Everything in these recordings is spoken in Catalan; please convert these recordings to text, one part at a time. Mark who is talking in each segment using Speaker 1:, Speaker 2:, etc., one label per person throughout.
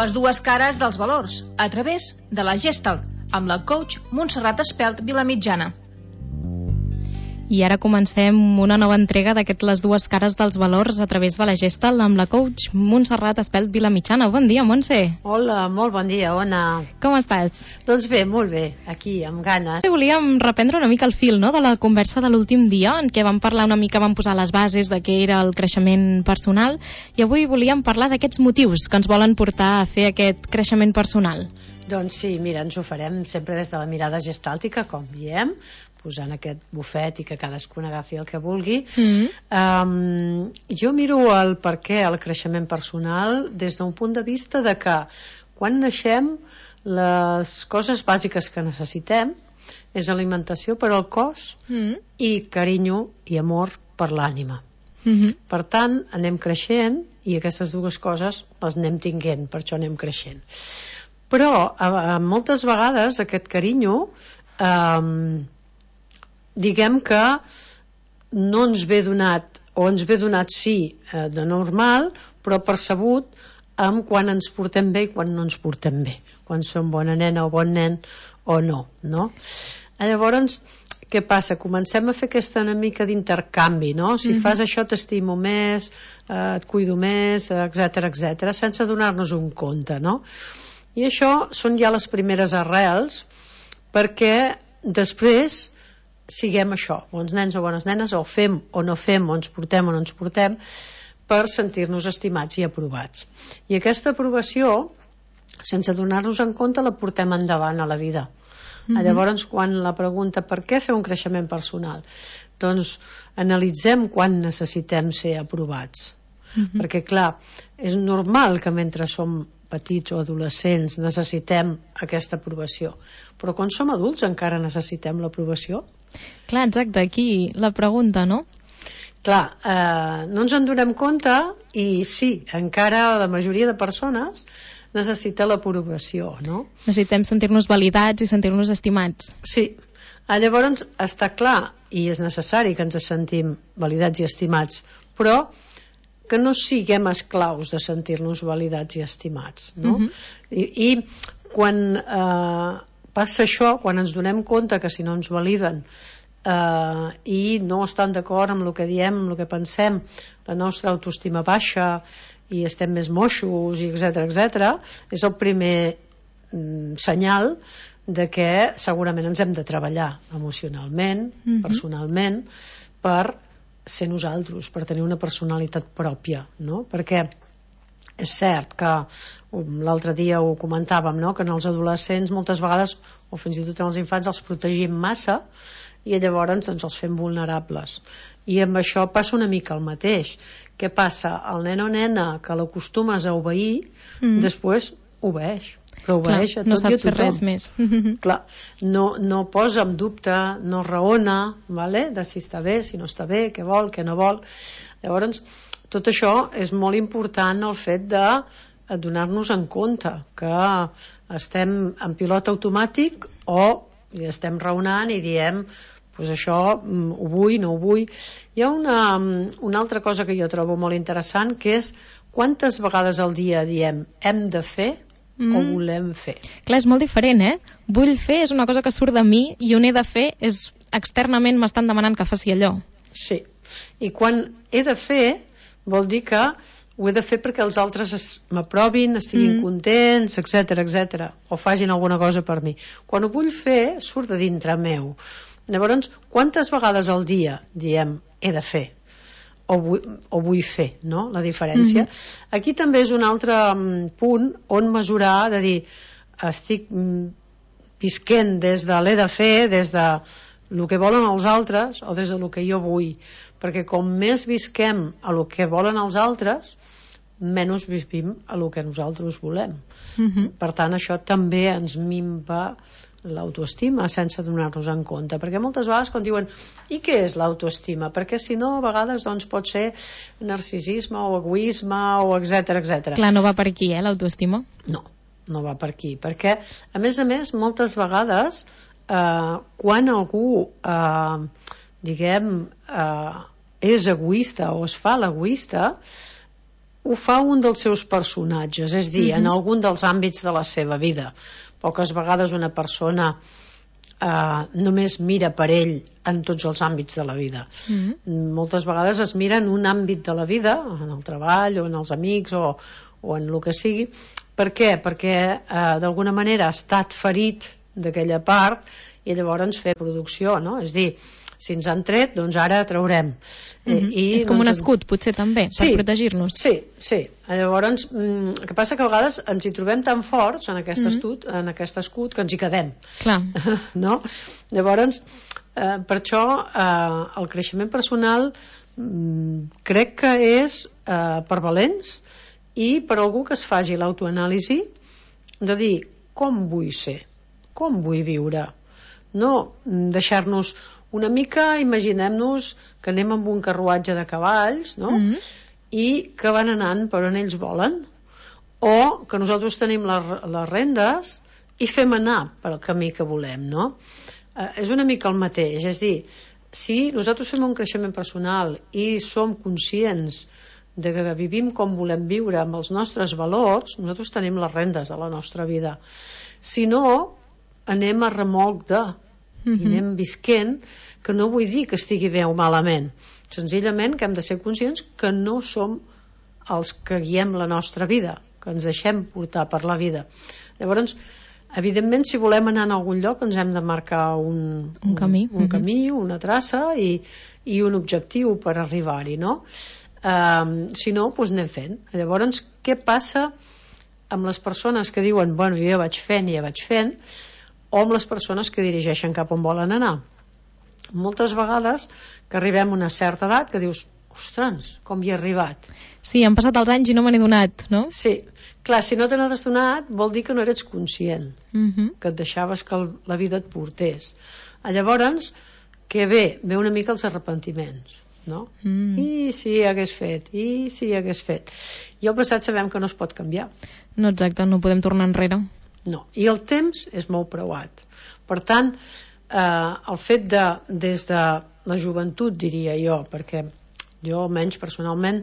Speaker 1: Les dues cares dels valors, a través de la Gestalt, amb la coach Montserrat Espelt Vilamitjana.
Speaker 2: I ara comencem una nova entrega d'aquest Les dues cares dels valors a través de la Gestalt amb la coach Montserrat Espelt Vilamitjana. Bon dia, Montse.
Speaker 3: Hola, molt bon dia, Ona.
Speaker 2: Com estàs?
Speaker 3: Doncs bé, molt bé, aquí, amb ganes.
Speaker 2: Volíem reprendre una mica el fil, no?, de la conversa de l'últim dia, en què vam parlar una mica, vam posar les bases de què era el creixement personal, i avui volíem parlar d'aquests motius que ens volen portar a fer aquest creixement personal.
Speaker 3: Doncs sí, mira, ens ho farem sempre des de la mirada gestàltica, com diem, posant aquest bufet i que cadascun agafi el que vulgui. Jo miro el per què el creixement personal des d'un punt de vista de que quan naixem les coses bàsiques que necessitem és alimentació per al cos i carinyo i amor per l'ànima. Per tant, anem creixent i aquestes dues coses les anem tinguent, per això anem creixent. Però moltes vegades aquest carinyo diguem que no ens ve donat, o ens ve donat sí de normal, però percebut amb quan ens portem bé i quan no ens portem bé, quan som bona nena o bon nen o no, no? Llavors, què passa? Comencem a fer aquesta una mica d'intercanvi, no? Si fas això t'estimo més, et cuido més, etc, sense donar-nos un compte, no? I això són ja les primeres arrels perquè després siguem això, bons nens o bones nenes, o fem o no fem, o ens portem o no ens portem, per sentir-nos estimats i aprovats. I aquesta aprovació, sense donar-nos en compte, la portem endavant a la vida. Llavors, quan la pregunta per què fer un creixement personal, doncs analitzem quan necessitem ser aprovats. Perquè, clar, és normal que mentre som petits o adolescents necessitem aquesta aprovació, però quan som adults encara necessitem l'aprovació?
Speaker 2: Clar, exacte, aquí la pregunta, no?
Speaker 3: Clar, no ens en donem compte i sí, encara la majoria de persones necessita l'aprovació, no?
Speaker 2: Necessitem sentir-nos validats i sentir-nos estimats.
Speaker 3: Sí, llavors està clar i és necessari que ens sentim validats i estimats, però que no siguem esclaus de sentir-nos validats i estimats, no? I quan passa això, quan ens donem compte que si no ens validen i no estan d'acord amb el que diem, amb el que pensem, la nostra autoestima baixa i estem més moixos, etc, és el primer senyal de que segurament ens hem de treballar emocionalment, personalment, per ser nosaltres, per tenir una personalitat pròpia, no? Perquè és cert que l'altre dia ho comentàvem, no? Que en els adolescents moltes vegades, o fins i tot en els infants, els protegim massa i llavors ens els fem vulnerables. I amb això passa una mica el mateix. Què passa? El nen o nena que l'acostumes a obeir, després obeeix. Però obeeix a tot i a tothom.
Speaker 2: No sap fer res més.
Speaker 3: Clar, no posa en dubte, no raona, vale? De si està bé, si no està bé, què vol, què no vol. Llavors, tot això és molt important, el fet de donar-nos en compte que estem en pilot automàtic o estem raonant i diem pues això ho vull, no ho vull. Hi ha una altra cosa que jo trobo molt interessant, que és quantes vegades al dia diem hem de fer o volem fer.
Speaker 2: Clar, és molt diferent, Vull fer és una cosa que surt de mi i on he de fer és externament m'estan demanant que faci allò.
Speaker 3: Sí, i quan he de fer vol dir que ho he de fer perquè els altres m'aprovin, estiguin contents, etc, o facin alguna cosa per mi. Quan ho vull fer surt de dintre meu. Llavors, quantes vegades al dia diem he de fer o vull fer, no? La diferència. Aquí també és un altre punt on mesurar, de dir, estic visquent des de l'he de fer, des de el que volen els altres o des de el que jo vull, perquè com més visquem a el que volen els altres, menys vivim a el que nosaltres volem. Per tant, això també ens minva l'autoestima sense donar-nos en compte, perquè moltes vegades quan diuen i què és l'autoestima? Perquè si no, a vegades doncs, pot ser narcisisme o egoisme o etc.
Speaker 2: Clar, no va per aquí, l'autoestima?
Speaker 3: No va per aquí, perquè a més, moltes vegades quan algú és egoista o es fa l'egoista, ho fa un dels seus personatges, és dir, en algun dels àmbits de la seva vida. Poques vegades una persona només mira per ell en tots els àmbits de la vida. Moltes vegades es mira en un àmbit de la vida, en el treball o en els amics o en el que sigui. Per què? Perquè d'alguna manera ha estat ferit d'aquella part i llavors fer producció, no? És dir, si ens han tret, doncs ara traurem.
Speaker 2: És com un escut, potser també, per protegir-nos.
Speaker 3: Sí. Llavors, el que passa que a vegades ens hi trobem tan forts en aquest escut que ens hi quedem.
Speaker 2: Clar.
Speaker 3: No? Llavors, per això el creixement personal crec que és per valents i per algú que es faci l'autoanàlisi de dir com vull ser, com vull viure, no deixar-nos una mica, imaginem-nos que anem amb un carruatge de cavalls, no? I que van anant per on ells volen, o que nosaltres tenim les rendes i fem anar pel camí que volem, no? És una mica el mateix, és dir, si nosaltres fem un creixement personal i som conscients de que vivim com volem viure amb els nostres valors, nosaltres tenim les rendes de la nostra vida. Si no, anem a remolc de i anem visquent, que no vull dir que estigui bé o malament, senzillament que hem de ser conscients que no som els que guiem la nostra vida, que ens deixem portar per la vida. Llavors, evidentment, si volem anar a algun lloc ens hem de marcar un camí, una traça i un objectiu per arribar-hi, no? Si no, doncs anem fent. Llavors, què passa amb les persones que diuen, bueno, jo ja vaig fent, o amb les persones que dirigeixen cap on volen anar? Moltes vegades que arribem a una certa edat que dius, ostres, com hi he arribat.
Speaker 2: Sí, han passat els anys i no me n'he donat, no?
Speaker 3: Sí, clar, si no te n'has donat vol dir que no eres conscient, que et deixaves que la vida et portés. Llavors, que ve una mica els arrepentiments, no? I si hagués fet, i el passat sabem que no es pot canviar.
Speaker 2: No, exacte, no podem tornar enrere.
Speaker 3: No, i el temps és molt preuat. Per tant, el fet de, des de la joventut, diria jo, perquè jo almenys personalment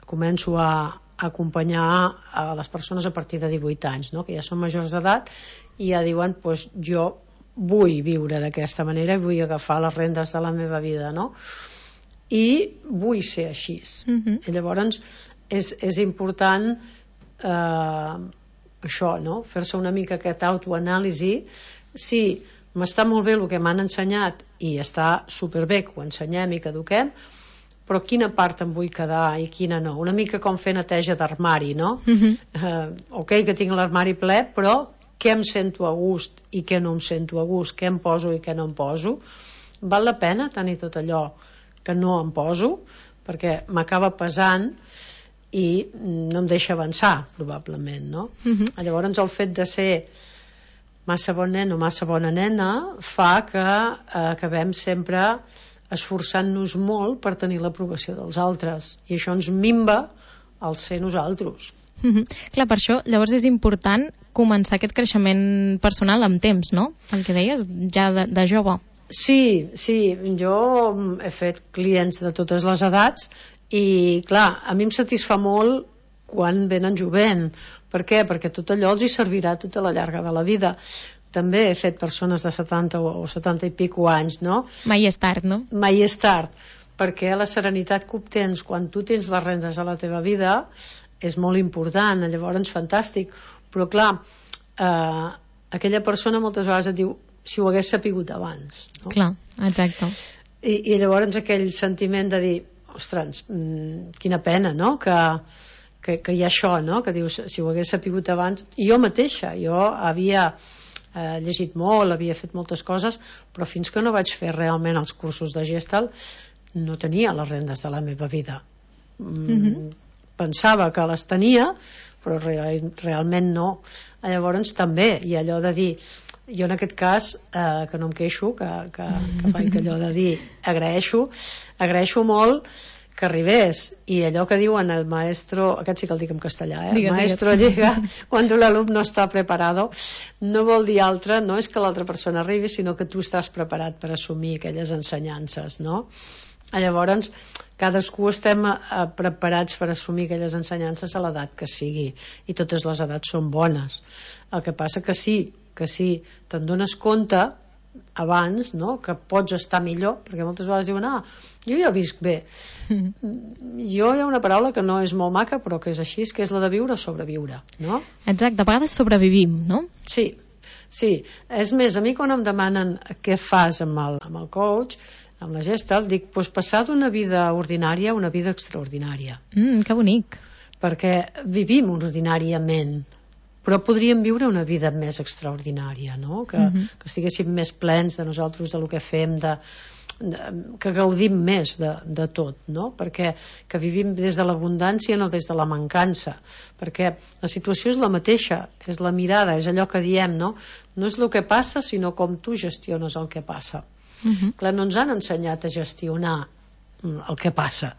Speaker 3: començo a acompanyar a les persones a partir de 18 anys, no? Que ja són majors d'edat i ja diuen, doncs jo vull viure d'aquesta manera i vull agafar les rendes de la meva vida, no? I vull ser així. I llavors és important això, no? Fer-se una mica aquesta autoanàlisi. Sí, m'està molt bé el que m'han ensenyat i està superbé que ho ensenyem i que eduquem, però quina part em vull quedar i quina no? Una mica com fer neteja d'armari, no? Ok, que tinc l'armari ple, però què em sento a gust i què no em sento a gust, què em poso i què no em poso? Val la pena tenir tot allò que no em poso, perquè m'acaba pesant i no em deixa avançar, probablement, no? Llavors el fet de ser massa bon nen o massa bona nena fa que acabem sempre esforçant-nos molt per tenir l'aprovació dels altres i això ens minva el ser nosaltres.
Speaker 2: Clar, per això llavors és important començar aquest creixement personal amb temps, no? El que deies, ja de jove.
Speaker 3: Sí, jo he fet clients de totes les edats i clar, a mi em satisfà molt quan venen jovent. Per què? Perquè tot allò els hi servirà tota la llarga de la vida. També he fet persones de 70 o 70 i pico anys, no?
Speaker 2: Mai és tard, no?
Speaker 3: Mai és tard, perquè la serenitat que obtens quan tu tens les rendes de la teva vida és molt important, llavors fantàstic. Però clar, aquella persona moltes vegades et diu si ho hagués sapigut abans, no?
Speaker 2: Clar, exacte.
Speaker 3: I llavors aquell sentiment de dir, ostres, quina pena, no? Que hi ha això, no? Que dius, si ho hagués sapigut abans. I jo mateixa, jo havia llegit molt, havia fet moltes coses, però fins que no vaig fer realment els cursos de Gestalt no tenia les rendes de la meva vida. Pensava que les tenia, però realment no. Llavors també hi ha allò de dir, jo en aquest cas que no em queixo, que faig allò de dir agraeixo molt que arribés, i allò que diuen el maestro, aquest sí que el dic en castellà, el maestro llega cuando el alumno está preparado, no vol dir altre, no és que l'altra persona arribi, sinó que tu estàs preparat per assumir aquelles ensenyances, no? Llavors, cadascú estem preparats per assumir aquelles ensenyances a l'edat que sigui, i totes les edats són bones. El que passa que sí, te'n dones compte abans, no?, que pots estar millor, perquè moltes vegades diuen, jo ja visc bé. Jo hi ha una paraula que no és molt maca, però que és així, que és la de viure o sobreviure, no?
Speaker 2: Exacte, a vegades sobrevivim, no?
Speaker 3: Sí. És més, a mi quan em demanen què fas amb el coach, amb la Gestalt, dic, passar d'una vida ordinària a una vida extraordinària.
Speaker 2: Que bonic.
Speaker 3: Perquè vivim ordinàriament, però podríem viure una vida més extraordinària, no? Que estiguéssim més plens de nosaltres, del que fem, que gaudim més de tot, no? Perquè que vivim des de l'abundància, no des de la mancança, perquè la situació és la mateixa, és la mirada, és allò que diem, no? No és el que passa, sinó com tu gestiones el que passa. Clar, no ens han ensenyat a gestionar el que passa.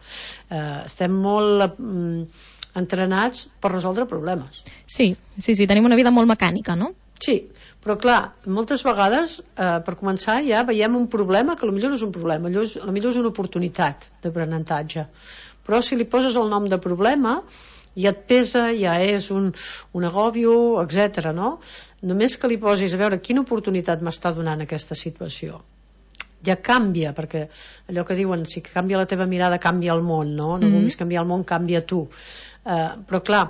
Speaker 3: Estem molt entrenats per resoldre problemes.
Speaker 2: Sí, tenim una vida molt mecànica, no?
Speaker 3: Sí, però clar, moltes vegades per començar ja veiem un problema que potser no és un problema, potser és una oportunitat d'aprenentatge, però si li poses el nom de problema ja et pesa, ja és un agòbio, etc. no? Només que li posis a veure quina oportunitat m'està donant aquesta situació, ja canvia, perquè allò que diuen, si canvia la teva mirada canvia el món, no vulguis canviar el món, canvia tu. Però clar,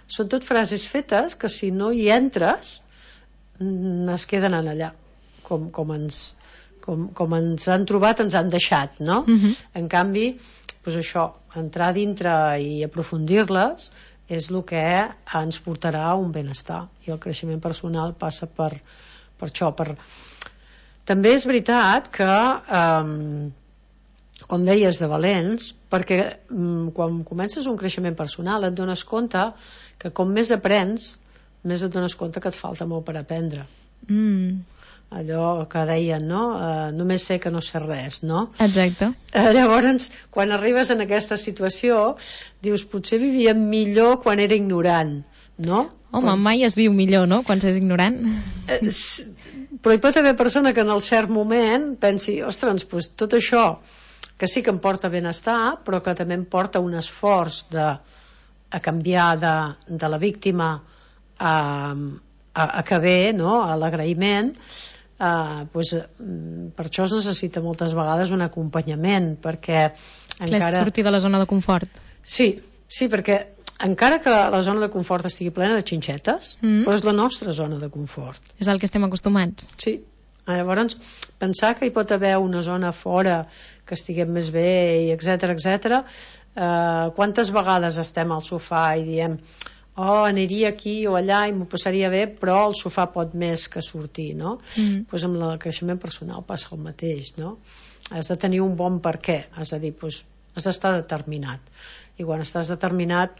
Speaker 3: són tot frases fetes que si no hi entres es queden allà, com ens han trobat, ens han deixat, no? En canvi, doncs això, entrar dintre i aprofundir-les és el que ens portarà a un benestar, i el creixement personal passa per això. També és veritat que com deies, de valents, perquè quan comences un creixement personal et dones compte que com més aprens, més et dones compte que et falta molt per aprendre. Allò que deien, no? Només sé que no sé res, no?
Speaker 2: Exacte.
Speaker 3: Llavors, quan arribes en aquesta situació, dius, potser vivíem millor quan era ignorant, no?
Speaker 2: Home, mai es viu millor, no?, quan s'és ignorant.
Speaker 3: Però hi pot haver persona que en el cert moment pensi, ostres, doncs tot això que sí que em porta benestar, però que també em porta un esforç a canviar de la víctima a que ve, no?, a l'agraïment, per això es necessita moltes vegades un acompanyament, perquè
Speaker 2: encara... sortir de la zona de confort.
Speaker 3: Sí, perquè encara que la zona de confort estigui plena de xinxetes, però és la nostra zona de confort.
Speaker 2: És el que estem acostumats.
Speaker 3: Sí. Llavors, pensar que hi pot haver una zona fora que estiguem més bé, etc. Quantes vegades estem al sofà i diem, aniria aquí o allà i m'ho passaria bé, però el sofà pot més que sortir, no? Doncs amb el creixement personal passa el mateix, no? Has de tenir un bon per què, has de dir, has d'estar determinat, i quan estàs determinat,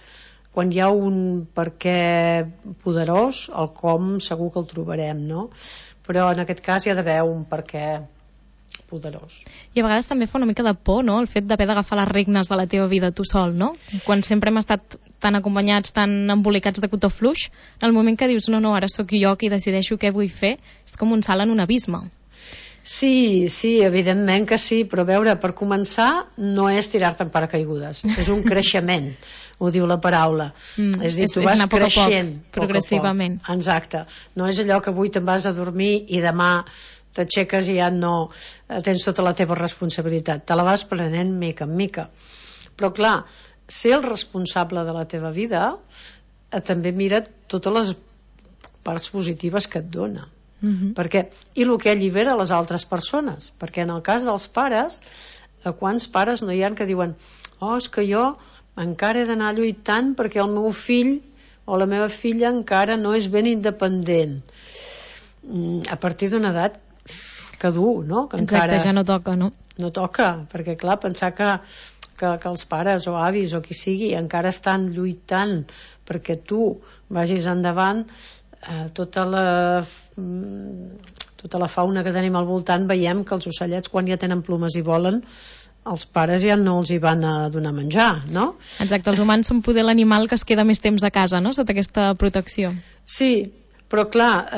Speaker 3: quan hi ha un per què poderós, el com segur que el trobarem, no? Però en aquest cas hi ha d'haver un per què poderós. I
Speaker 2: a vegades també fa una mica de por, no?, el fet d'haver d'agafar les regnes de la teva vida tu sol, no? Quan sempre hem estat tan acompanyats, tan embolicats de cotó fluix, en el moment que dius, no, ara sóc jo qui decideixo què vull fer, és com un salt en un abisme.
Speaker 3: Sí, evidentment que sí, però a veure, per començar no és tirar-te en paracaigudes, és un creixement, ho diu la paraula. És dir, tu vas creixent
Speaker 2: progressivament.
Speaker 3: Exacte. No és allò que avui te'n vas a dormir i demà t'aixeques i ja no tens tota la teva responsabilitat, te la vas prenent mica en mica. Però clar, ser el responsable de la teva vida també mira totes les parts positives que et dona. Perquè, i el que allibera les altres persones, perquè en el cas dels pares, quants pares no hi ha que diuen, és que jo encara he d'anar lluitant perquè el meu fill o la meva filla encara no és ben independent. A partir d'una edat que dur, no? Que
Speaker 2: exacte, encara ja no toca, no?
Speaker 3: No toca, perquè clar, pensar que els pares o avis o qui sigui encara estan lluitant perquè tu vagis endavant, tota la fauna que tenim al voltant, veiem que els ocellets quan ja tenen plomes i volen, els pares ja no els hi van a donar menjar, no?
Speaker 2: Exacte, els humans són poder l'animal que es queda més temps a casa, no?, sota aquesta protecció.
Speaker 3: Sí, però clar,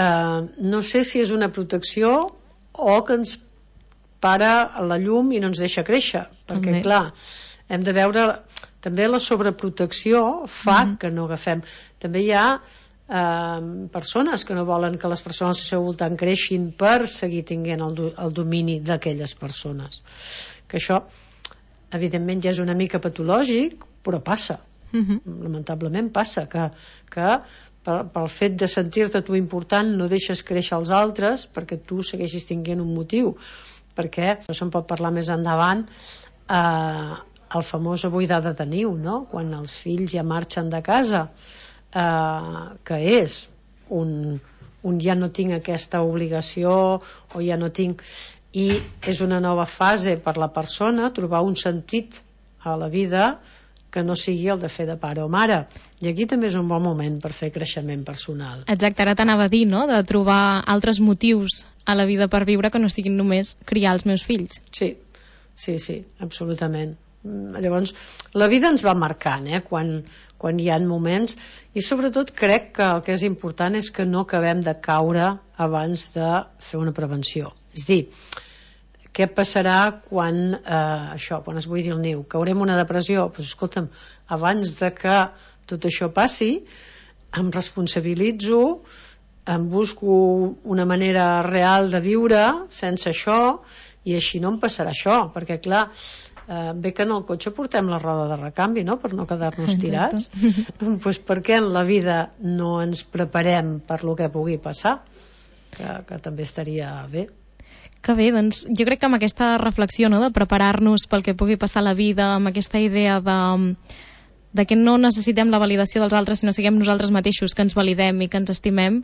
Speaker 3: no sé si és una protecció o que ens para la llum i no ens deixa créixer, perquè clar, hem de veure també la sobreprotecció fa que no agafem. També hi ha persones que no volen que les persones al seu voltant creixin per seguir tinguent el domini d'aquelles persones, que això evidentment ja és una mica patològic, però passa, lamentablement passa, que pel fet de sentir-te tu important no deixes créixer els altres perquè tu segueixis tinguent un motiu, perquè això se'n pot parlar més endavant, el famós buidar de niu, no? Quan els fills ja marxen de casa, que és un ja no tinc aquesta obligació o ja no tinc, i és una nova fase per la persona trobar un sentit a la vida que no sigui el de fer de pare o mare, i aquí també és un bon moment per fer creixement personal.
Speaker 2: Exacte, ara t'anava a dir, no?, de trobar altres motius a la vida per viure que no siguin només criar els meus fills.
Speaker 3: Sí, absolutament. Llavors, la vida ens va marcant, quan hi ha moments, i sobretot crec que el que és important és que no acabem de caure abans de fer una prevenció. És dir, què passarà quan es buidi el niu? Caurem una depressió? Doncs escolta'm, abans de que tot això passi, em responsabilitzo, em busco una manera real de viure sense això, i així no em passarà això, perquè clar, bé que en el cotxe portem la roda de recanvi, no?, per no quedar-nos tirats. Doncs per què en la vida no ens preparem per lo que pugui passar? Que també estaria bé.
Speaker 2: Que bé, doncs jo crec que amb aquesta reflexió, no?, de preparar-nos pel que pugui passar a la vida, amb aquesta idea de que no necessitem la validació dels altres, sinó siguem nosaltres mateixos que ens validem i que ens estimem,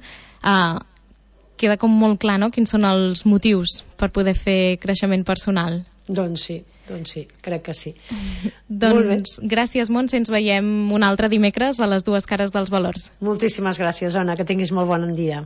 Speaker 2: queda com molt clar, no?, quins són els motius per poder fer creixement personal.
Speaker 3: Doncs sí, crec que sí.
Speaker 2: Doncs gràcies, Montse, ens veiem un altre dimecres a les dues cares dels valors.
Speaker 3: Moltíssimes gràcies, Ona, que tinguis molt bon dia.